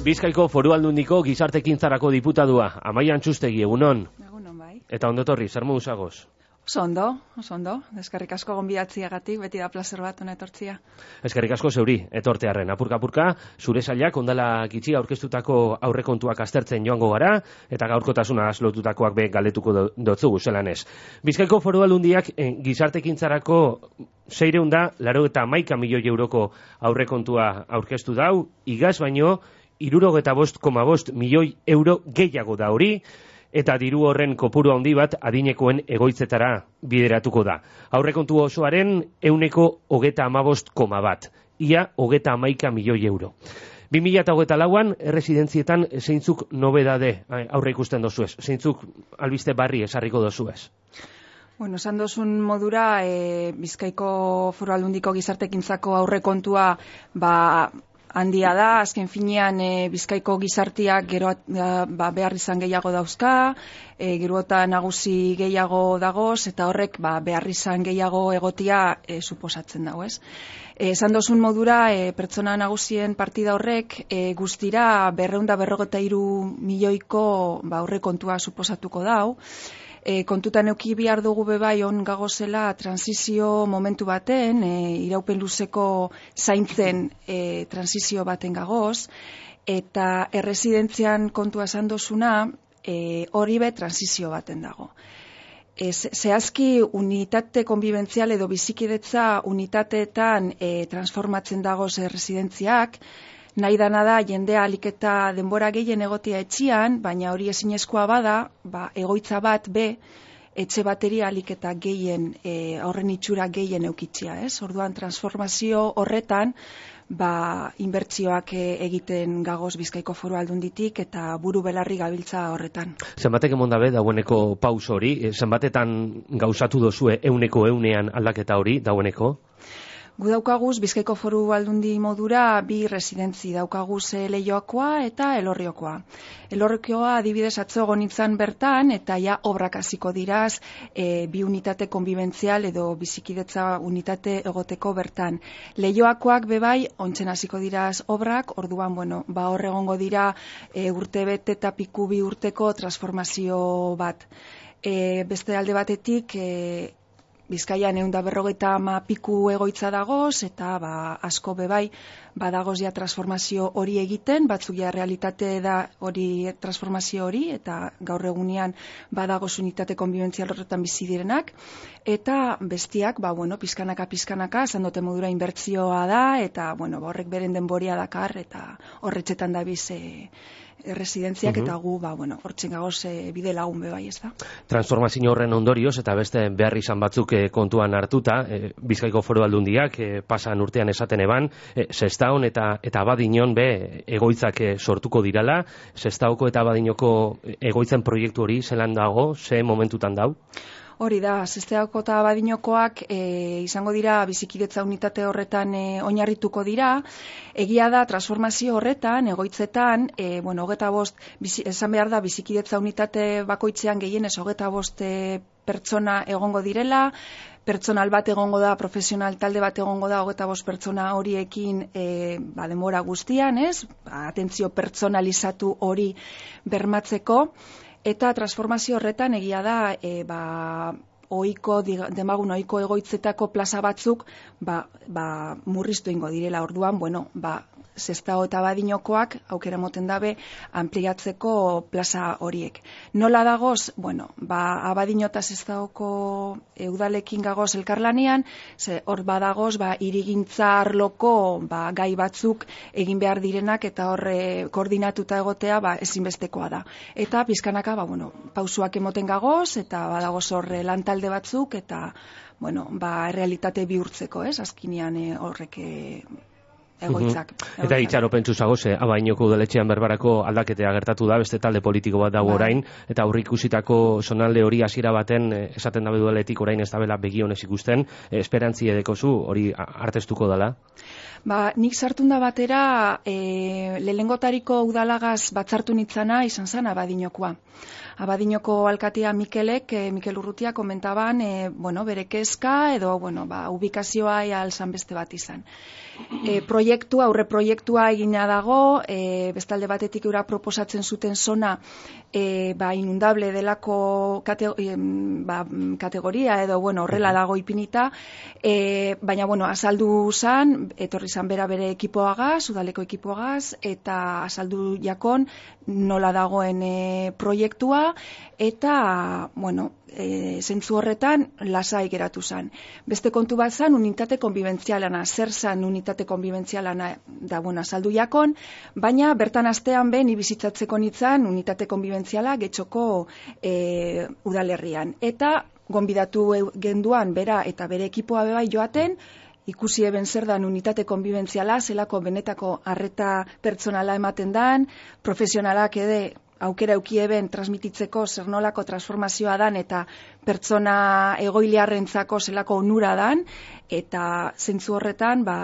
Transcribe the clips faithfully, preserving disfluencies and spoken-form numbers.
Bizkaiko Foru Aldundiko Gizartekintzarako diputadua, Amaia Antxustegi, egunon. Egunon bai. Eta ondotorri, zer modu zagoz? Oso ondo, oso ondo. Eskerrik asko gonbidatziagatik, beti da plazer bat hona etortzia. Eskerrik asko zeuri, etortearren. Apurka-apurka, zure sailak ondala gitxi aurkeztutako aurrekontuak aztertzen joango gara, eta gaurkotasuna lotutakoak be galdetuko dotzugu zelan ez. Bizkaiko Foru Aldundiak eh, Gizartekintzarako seiehun da laro eta hamaika milioi euroko aurrekontua aurkeztu dau, igaz baino, hirurogeita bost koma bost milioi euro gehiago da hori, eta diru horren kopuru handi bat adinekoen egoitzetara bideratuko da. Aurrekontu osoaren ehuneko hogeta hamabost koma bat, ia hogeta hamaika milioi euro. bi mila hogeita lauan erresidentzietan zeintzuk nobedade aurre ikusten dozuez, zeintzuk albiste barri esarriko dozuez. Bueno, esan dozun modura, e, Bizkaiko Foru Aldundiko Gizartekintzako aurrekontua ba, handia da, azken finean e, Bizkaiko gizartiak gero ba, behar izan gehiago dauzka, e, gero eta nagusi gehiago dagoz, eta horrek ba, behar izan gehiago egotia e, suposatzen dago, ez? E, esan dozun modura, e, pertsona nagusien partida horrek e, guztira berrehun eta berrogeita hiru milioiko ba, aurrekontua suposatuko dau. E, kontutan euki bihar dugu bebai on gagozela transizio momentu baten, e, iraupen luzeko zaintzen e, transizio baten gagoz, eta erresidentzian kontua esan dozuna, e, hori be transizio baten dago. E, zehazki unitate konbibentzial edo bizikidetza unitateetan e, transformatzen dagoz erresidentziak, nahi dana da jendea alik eta denbora gehien egotia etxian, baina hori ezinezkoa bada, ba, egoitza bat be, etxe bateria alik eta gehien, e, horren itxura gehien eukitzia, ez? Orduan transformazio horretan, ba, inbertsioak egiten gagoz Bizkaiko Foru Aldunditik eta buru belarri gabiltza horretan. Zenbatek emon dabe dagoeneko paus hori, zenbatetan gauzatu dozue euneko eunean aldaketa hori dagoeneko? Gu daukaguz, Bizkaiko Foru Aldundi modura bi residentzi daukaguz Leioakoa eta Elorriokoa. Elorriokoa adibidez atzo gonitzan bertan eta ja obrak hasiko diraz e, bi unitate konbibentzial edo bizikidetza unitate egoteko bertan. Leioakoak bebai ontzen hasiko diraz obrak, orduan bueno, ba hor egongo dira e, urte bete eta piku bi urteko transformazio bat. E, beste alde batetik e, Bizkaian ehun eta berrogeita hama piku egoitza dagoz, eta ba, asko bebai badagoz ja transformazio hori egiten, batzuk ja realitate da hori transformazio hori, eta gaur egunean badagoz unitate konbibentzial horretan bizi direnak, eta bestiak, ba, bueno, pizkanaka pizkanaka, esan dute modura inbertzioa da, eta bueno, ba, horrek beren denboria dakar, eta horretxetan da biz e, erresidentziak, uh-huh. Eta gu, ba, bueno, hortzen gagoz e, bide lagun bebai, ez da. Transformazio horren ondorioz, eta beste behar izan batzuk e, kontuan hartuta, e, Bizkaiko Foru Aldundiak e, pasan urtean esaten eban, e, Sestaon eta eta Abadiñon be egoitzak e, sortuko dirala, Sestaoko eta Abadiñoko egoitzen proiektu hori zelan dago, ze momentutan dau? Hori da, Sestaoko eta Abadiñokoak e, izango dira bizikidetza unitate horretan e, oinarrituko dira. Egia da, transformazio horretan, egoitzetan, e, bueno, hogeta bost, bizi, esan behar da, bizikidetza unitate bakoitzean gehienez hogeta bost e, pertsona egongo direla, pertsonal bat egongo da, profesional talde bat egongo da, hogeta bost pertsona horiekin e, ba, demora guztian, ez? Ba, atentzio pertsonalizatu hori bermatzeko. Eta transformazio horretan egia da, e, ba, oiko, demagun oiko egoitzetako plaza batzuk, ba, ba, murriztu ingo direla. Orduan, bueno, ba, Sestao eta Abadiñokoak aukera moten dabe ampliatzeko plaza horiek. Nola dagoz? Bueno, ba, Abadiño eta Sestaoko e, udalekin gagoz elkarlanean, ze hor badagoz, ba, hirigintza arloko ba, gai batzuk egin behar direnak eta horre koordinatuta egotea ba, ezinbestekoa da. Eta pizkanaka, ba, bueno, pausuak emoten gagoz, eta badagoz horre lantalde batzuk, eta, bueno, ba, realitate bihurtzeko, ez? Azkinean e, horrek e, egoitzak. Uh-huh. Eta itxaropentsu zagoz, eh, Abadiñoko udaletxean berbarako aldaketea gertatu da, beste talde politiko bat dago orain, eta aurreikusitako zonalde hori hasiera baten eh, esaten dabe udaletik orain ez dabela begionez ikusten, eh, esperantzi edekozu hori artestuko dela? Ba, nik sartun da batera, e, lehengotariko udalagaz batzartu nitzana izan zen Abadiñokoa. Abadinoko alkatea Mikelek, e, Mikel Urrutia komentaban, e, bueno, bere kezka edo, bueno, ba, ubikazioa ea alzan beste bat izan. E, proiektua, aurre proiektua egina dago, e, bestalde batetik eura proposatzen zuten zona e, ba, inundable delako kate, e, ba, kategoria edo, bueno, horrela dago ipinita, e, baina, bueno, azaldu zan, etorri zan bera bere ekipoagaz, udaleko ekipoagaz, eta azaldu jakon nola dagoen e, proiektua, eta, bueno, e, zentzu horretan lasai geratu zan. Beste kontu bat zan, unitate konbibentzialana, zer zan unitate konbibentzialana da, bueno, azaldu jakon, baina bertan astean ben ibizitzatzeko nitzan unitate konbibentziala getxoko e, udalerrian. Eta gonbidatu genduan bera eta bere ekipoa bebai joaten, ikusi eben zer dan unitate konbibentziala, zelako benetako arreta pertsonala ematen dan, profesionalak ede aukera eukieben transmititzeko zer nolako transformazioa dan eta pertsona egoiliarrentzako zelako onura dan, eta zentzu horretan, ba,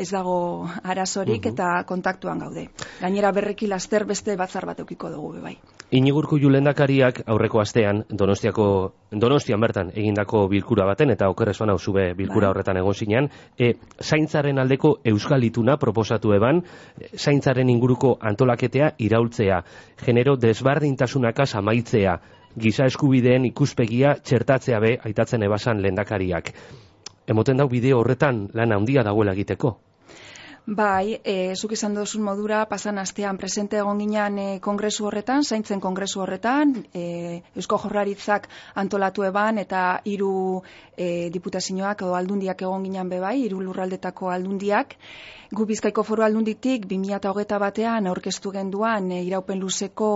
ez dago arazorik uh -huh. eta kontaktuan gaude. Gainera berreki laster beste batzar bat eukiko dugu bebai. Inigurko Lehendakariak aurreko astean Donostiako Donostian bertan egindako bilkura baten eta okerrez bana zube bilkura horretan egon zinean, e, zaintzaren aldeko euskal ituna proposatu eban, zaintzaren inguruko antolaketea iraultzea, genero desbardintasunakaz amaitzea, giza eskubideen ikuspegia txertatzea be aitatzen ebasan Lehendakariak. Emoten dau bideo horretan lan handia dagoela egiteko? Bai, e, zuk izan duzun modura, pasan astean presente egon ginen e, kongresu horretan, zaintzen kongresu horretan, e, Eusko Jaurlaritzak antolatu eban, eta hiru e, diputazioak edo aldundiak egon ginen bebai, hiru lurraldetako aldundiak. Gu Bizkaiko Foru Aldunditik bi mila hogeita batean aurkeztu genduan e, iraupen luzeko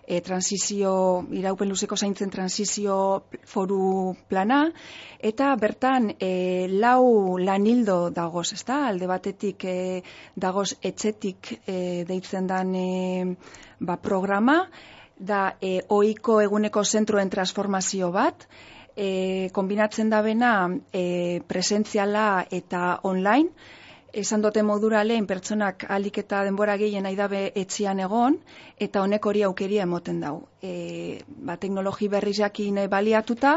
e, transizio, iraupen luzeko zaintzen transizio foru plana, eta bertan e, lau lanildo dagoz, ezta? Alde batetik e, dagoz etxetik e, deitzen dan e, ba, programa, da e, ohiko eguneko zentroen transformazio bat, e, kombinatzen da bena e, presentziala eta online. Esan dote modura lehen pertsonak alik eta denbora gehien nahi dabe etxian egon, eta honek hori aukeria emoten dau. E, ba, teknologi berrizakin baliatuta,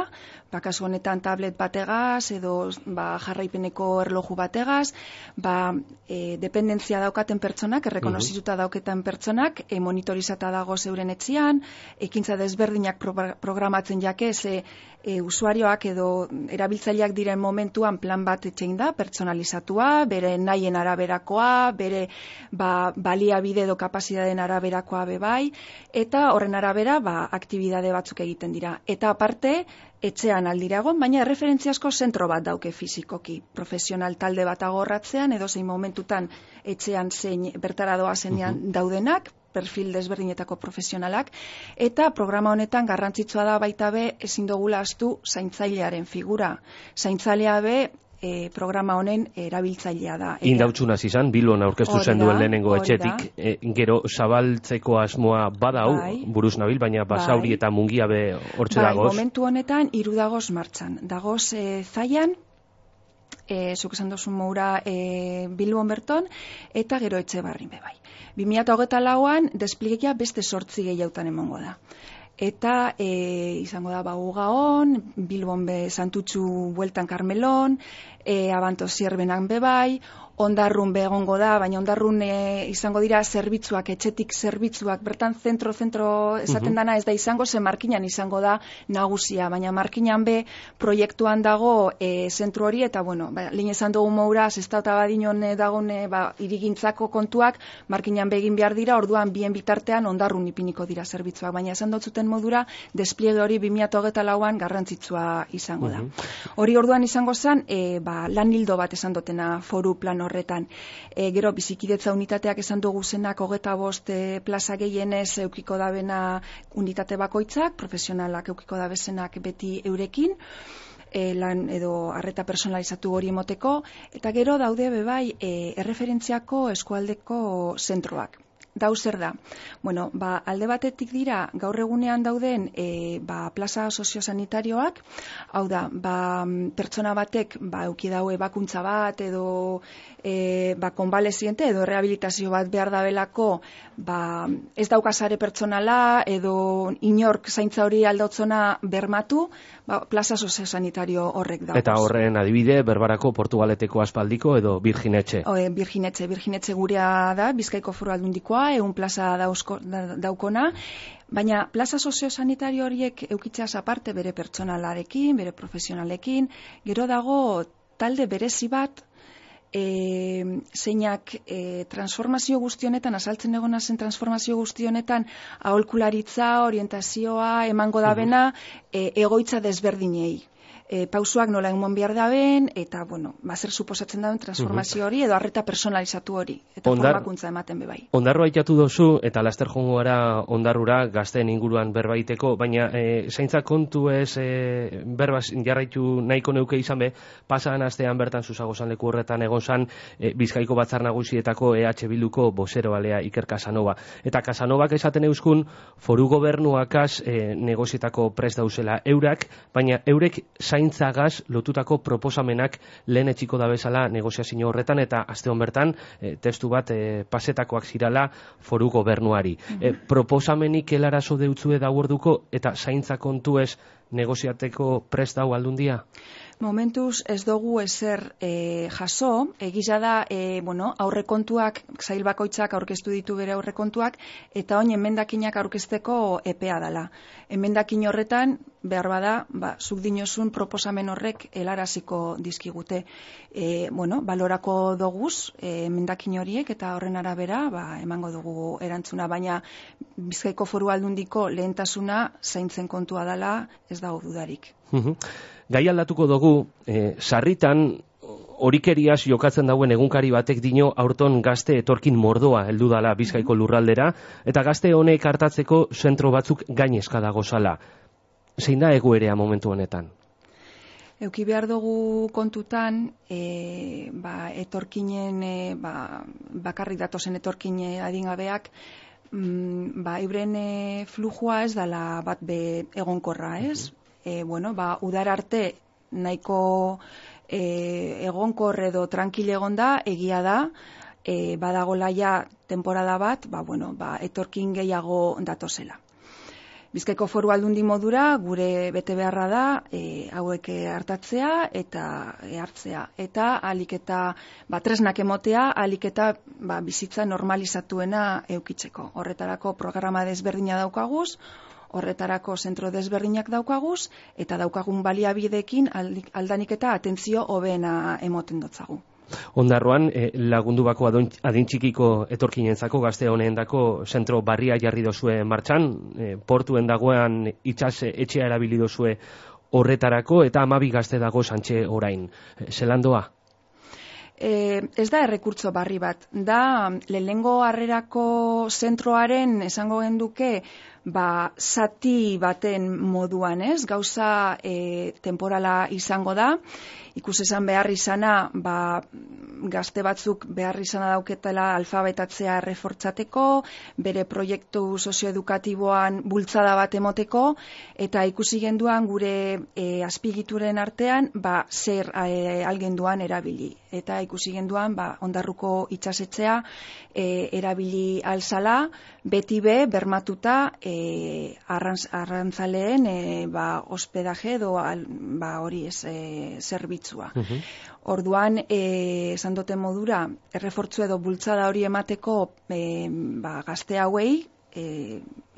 ba, kasu honetan tablet bategaz, edo ba, jarraipeneko erloju bategaz, ba, e, dependentzia daukaten pertsonak, errekonozituta dauketan pertsonak, e, monitorizata dago zeuren etxian, ekintza desberdinak pro, programatzen jake, ze e, usuarioak edo erabiltzaileak diren momentuan plan bat etxein da, personalizatua, bere nahien araberakoa, bere ba, baliabide edo kapazitateen araberakoa bebai, eta horren arabera ba, aktibidade batzuk egiten dira. Eta aparte, etxean aldiragon, baina erreferentziasko zentro bat dauke fizikoki. Profesional talde bat agorratzean, edo zein momentutan etxean zein bertara doazenean uh-huh. daudenak, perfil desberdinetako profesionalak, eta programa honetan garrantzitsua da baita be ezin dugula ahaztu zaintzailearen figura. Zaintzailea be E, programa honen erabiltzailea da. Indautxun hasi izan, Bilbon aurkeztu zen duen lehenengo etxetik, e, gero zabaltzeko asmoa badau, bai, buruz nabil, baina basauri bai, eta mungia be hortxe bai, dagoz. Momentu honetan, hiru dagoz martxan. Dagoz e, zaian, e, zuk esan duzun moura e, Bilbon berton, eta gero etxe barrin be bai. bi mila hogeita lauan, despliegia beste sortzi gehiautan emongo da. Eta e, izango da Bagugaon, Bilbon be Santutxu bueltan Karmelon, e, Abanto Zierbenan bebai, Ondarrun begongo da, baina Ondarrun e, izango dira zerbitzuak, etxetik zerbitzuak, bertan zentro-zentro esaten dana ez da izango, ze markinan izango da nagusia, baina markinan be proiektuan dago e, zentru hori, eta bueno, ba, lehen esan dugu moura, zestauta badinon dagoen ba, irigintzako kontuak, markinan begin behar dira, orduan bien bitartean Ondarrun ipiniko dira zerbitzuak, baina esan dotzuten modura, despliege hori bi mila hogeita lauan garrantzitsua izango da. Hori orduan izango zen, e, ba, lan hildo bat esan dutena foru plan horretan. E, gero, bizikidetza unitateak esan dugu zenak hogeta bost e, plaza gehienez eukiko dabena unitate bakoitzak, profesionalak eukiko dabezenak beti eurekin, e, lan edo arreta personalizatu hori emoteko, eta gero daude bebai e, erreferentziako eskualdeko zentroak. Dau zer da? Bueno, ba, alde batetik dira, gaur egunean dauden e, ba, plaza soziosanitarioak, hau da, ba, pertsona batek ba, euki dau ebakuntza bat edo e, e, ba, konbaleziente edo rehabilitazio bat behar dabelako, ba, ez daukasare pertsonala edo inork zaintza hori aldotzona bermatu, ba, plaza soziosanitario horrek dauz. Eta horren adibide, Berbarako Portugaleteko aspaldiko edo Birjinetxe. O, e, Birjinetxe, Birjinetxe gurea da, Bizkaiko Foru Aldundikoa, ehun plaza dauzko, da, daukona, baina plaza soziosanitario horiek eukitzeaz aparte bere pertsonalarekin, bere profesionalekin, gero dago talde berezi bat, E, zeinak e, transformazio guztionetan, asaltzen egona zen transformazio guztionetan, aholkularitza, orientazioa, emango dabena, e, egoitza desberdinei. E, pausuak nola emon behar daben, eta, bueno, bazer suposatzen daben transformazio hori, edo arreta personalizatu hori, eta Ondar, formakuntza ematen bebai. Ondarroa itatu dozu, eta laster jongo gara ondarrura, gazteen inguruan berbaiteko, baina e, zaintza kontu ez e, berbaz jarraitu nahiko neuke izan be, pasan astean bertan Zuzagozan leku horretan egon zan, e, Bizkaiko Batzar Nagusietako E H Bilduko bozero alea Iker Casanova. Eta Casanovak esaten euskun, foru gobernuakaz e, negozietako prest dauzela eurak, baina eurek zaintzagaz lotutako proposamenak lehen etxiko da bezala negoziazio horretan, eta aste hon bertan e, testu bat e, pasetakoak zirala foru gobernuari. Mm-hmm. e, proposamenik helarazo deutzue daurduko eta zaintza kontuez negoziateko prest dau aldundia? Momentuz ez dugu ezer e, jaso, egiza da, e, bueno, aurrekontuak, zail bakoitzak aurkeztu ditu bere aurrekontuak, eta oin emendakinak aurkezteko epea dela. Emendakin horretan, behar bada, ba, zuk dinozun proposamen horrek helaraziko dizkigute. E, bueno, balorako doguz, e, emendakin horiek, eta horren arabera, ba, emango dugu erantzuna, baina Bizkaiko Foru Aldundiko lehentasuna zaintzen kontua dela, ez dago dudarik. Gai aldatuko dugu, e, sarritan horikeriaz jokatzen dauen egunkari batek dino aurton gazte etorkin mordoa heldu dala Bizkaiko lurraldera, eta gazte honek hartatzeko zentro batzuk gainezka dago zala. Zein da egoerea momentu honetan? Euki behar dugu kontutan, e, ba, etorkinen, e, ba, bakarrik datozen etorkin adingabeak, mm, ba, euren e, flujua ez dala bat be egonkorra, ez? E, bueno, ba, udar arte nahiko e, egonkor edo tranquile egonda, egia da, e, badagola ja temporada bat, ba, bueno, ba, etorkin gehiago datozela. Bizkaiko Foru Aldundi modura gure bete beharra da e, hauek hartatzea eta e, hartzea. Eta alik eta ba, tresnak emotea, alik eta ba, bizitza normalizatuena eukitzeko. Horretarako programa desberdina daukaguz, horretarako zentro desberdinak daukaguz, eta daukagun baliabideekin aldanik eta atentzio hobeena emoten dotzagu. Ondarroan, eh, lagundu bako adin txikiko etorkinentzako gazte honendako zentro barria jarri dozue martxan, eh, portuen dagoen itxas etxea erabili dozue horretarako, eta amabi gazte dago santxe orain. Eh, zelandoa? E, ez da errekurtso barri bat. Da, lehenengo harrerako zentroaren esango genduke, ba, zati baten moduan, ez? Gauza e, temporala izango da. Ikus esan behar izana, ba, gazte batzuk behar izana dauketela alfabetatzea errefortzateko, bere proiektu sozioedukatiboan bultzada bat emoteko, eta ikusi genduan gure e, azpigituren artean, ba, zer e, algenduan erabili. Eta ikusi genduan, ba, Ondarruko itxasetzea e, erabili alzala, beti be, bermatuta e, arrantz, arrantzaleen e, ba, hospedaje edo al, ba, hori ez e, zerbitzua. Uh-huh. Orduan, e, esan duten modura, errefortzu edo bultzada hori emateko e, ba, gazte hauei, e,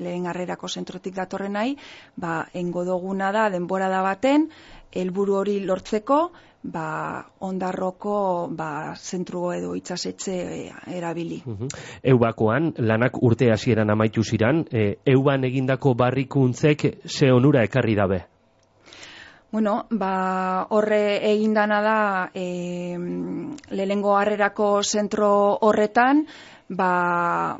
lehen harrerako zentrotik datorren nahi, ba, engo duguna da denborada baten, helburu hori lortzeko, ba, Ondarroko ba, zentru edo itxasetxe erabili. Uh-huh. Eubakoan, lanak urte hasieran amaitu ziran, e, euban egindako barrikuntzek ze onura ekarri dabe? Bueno, ba, horre egindana da e, lehengo harrerako zentro horretan, ba,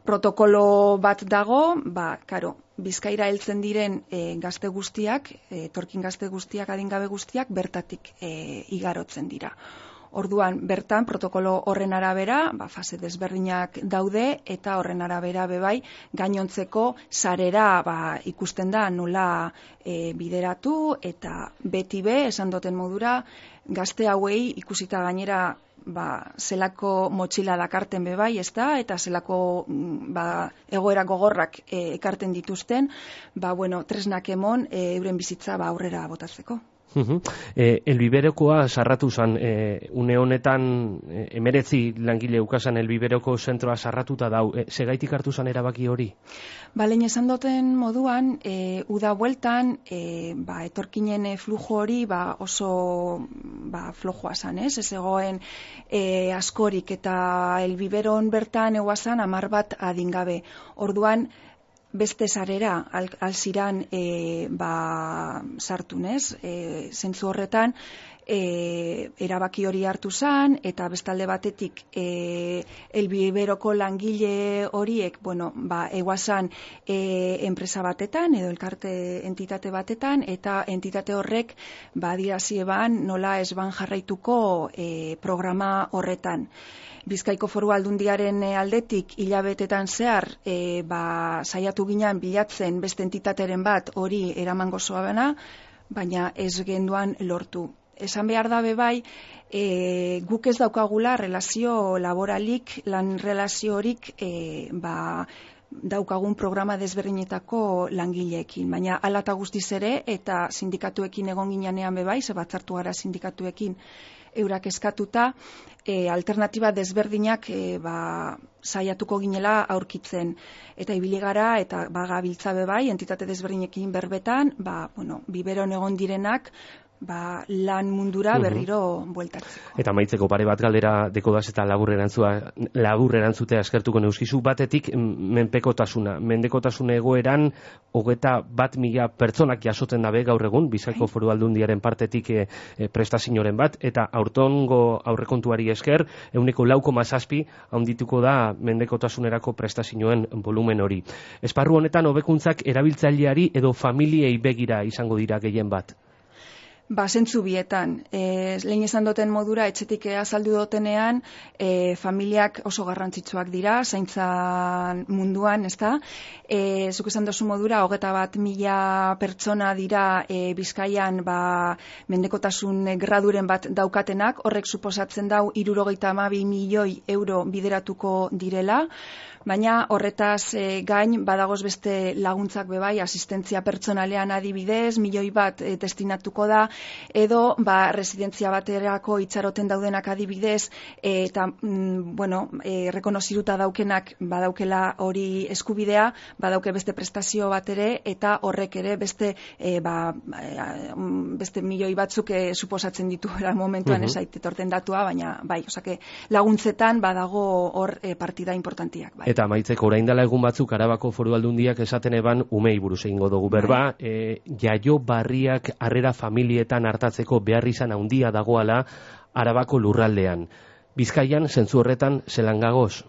protokolo bat dago, ba, karo, Bizkaira heltzen diren e, gazte guztiak, e, etorkin gazte guztiak, adingabe guztiak, bertatik e, igarotzen dira. Orduan, bertan, protokolo horren arabera, ba, fase desberdinak daude, eta horren arabera bebai, gainontzeko sarera ba, ikusten da nola e, bideratu, eta beti be, esan doten modura, gazte hauei ikusita gainera ba, zelako motxila dakarten bebai, ez da, eta zelako ba, egoera gogorrak e, ekarten dituzten, ba, bueno, tresnak emon e, euren bizitza ba, aurrera botatzeko. Uh-huh. E, elbiberokoa sarratu zan, e, une honetan e, emeretzi langile ukasan elbiberoko zentroa sarratuta dau, e, segaitik hartu zan erabaki hori? Ba, lehen esan duten moduan, e, uda bueltan, e, ba, etorkinen e, flujo hori ba, oso ba, flojoa zan, ez? Ez egoen e, askorik, eta elbiberon bertan eguazan amar bat adingabe. Orduan, beste sarera al, alziran e, ba, sartunez, e, zentzu horretan e, erabaki hori hartu zan, eta bestalde batetik e, elbiberoko langile horiek, bueno, ba, eguazan e, enpresa batetan, edo elkarte entitate batetan, eta entitate horrek ba, adierazi eban nola ez ban jarraituko e, programa horretan. Bizkaiko Foru Aldundiaren aldetik hilabetetan zehar e, ba, saiatu ginen bilatzen beste entitateren bat hori eramango zoabena, baina ez genduan lortu. Esan behar da bebai, e, guk ez daukagula relazio laboralik, lan relazio horik e, ba, daukagun programa desberdinetako langileekin, baina hala eta guztiz ere, eta sindikatuekin egon ginean bebai, ze batzartu gara sindikatuekin eurak eskatuta, e, alternatiba desberdinak e, ba, saiatuko ginela aurkitzen. Eta ibili gara, eta bagabiltza bebai, entitate desberdinekin berbetan, ba, bueno, biberon egon direnak, ba, lan mundura berriro bueltatzeko. Eta maitzeko pare bat galdera dekodaz eta labur erantzua, labur erantzutea eskertuko neuskizu, batetik menpekotasuna. Mendekotasun egoeran hogeta bat mila pertsonak jasotzen dabe gaur egun, Bizkaiko Foru Aldundiaren partetik e, e, prestazioren bat, eta aurtongo aurrekontuari esker, euneko lau koma zazpi handituko da mendekotasunerako prestazioen volumen hori. Esparru honetan hobekuntzak erabiltzaileari edo familiei begira izango dira gehien bat? Ba, zentzu bietan. E, lehen esan duten modura, etxetik azaldu dotenean, e, familiak oso garrantzitsuak dira, zaintzan munduan, ez da? E, zuk esan dozu modura, hogeta bat mila pertsona dira e, Bizkaian ba, mendekotasun graduren bat daukatenak, horrek suposatzen dau hirurogeita hamabi milioi euro bideratuko direla, baina horretaz e, gain badagoz beste laguntzak bebai, asistentzia pertsonalean adibidez, milioi bat e, destinatuko da, edo ba, residentzia baterako itxaroten daudenak adibidez, e, eta mm, bueno, e, rekonoziruta daukenak badaukela hori eskubidea, badauke beste prestazio bat ere, eta horrek ere beste e, ba, beste milioi batzuk e, suposatzen dituela momentuan uh-huh. ezait etorten datua, baina bai, osake, laguntzetan badago hor e, partida importantiak. Bai. Eta maitzeko orain dela egun batzuk Arabako Foru Aldundiak esaten eban umei buruz egingo dugu berba, e, jaio barriak harrera familietan hartatzeko behar izan handia dagoala Arabako lurraldean. Bizkaian, zentzu horretan, zelan gagoz?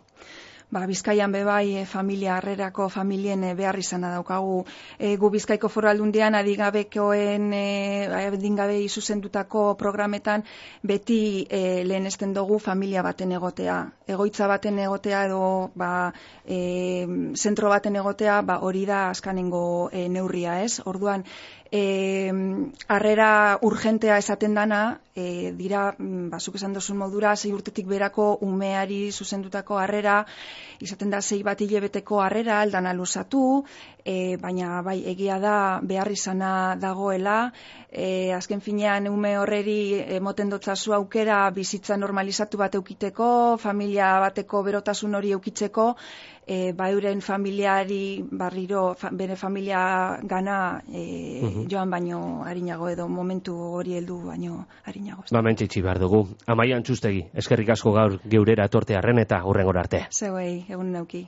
Ba, Bizkaian bebai e, familia harrerako familien e, behar izana daukagu. E, gu Bizkaiko Foru Aldundian adigabekoen e, adingabei zuzendutako programetan beti e, lehenesten dugu familia baten egotea. Egoitza baten egotea edo ba, e, zentro baten egotea ba, hori da azkanengo e, neurria, ez? Orduan, E, harrera urgentea esaten dana, e, dira, bazuk esan dozun modura, sei urtetik berako umeari zuzendutako harrera, izaten da sei bat hilebeteko harrera, aldana luzatu, e, baina bai egia da behar izana dagoela, e, azken finean ume horreri emoten dotzazu aukera bizitza normalizatu bat eukiteko, familia bateko berotasun hori eukitzeko, e, ba euren familiari barriro, fa, bere familia gana e, uh-huh. joan baino harinago edo momentu hori heldu baino harinago. Ba, mentxitsi behar dugu. Amaian Txustegi, eskerrik asko gaur geurera etortearren eta hurrengora arte. Zeuei, egun neuki.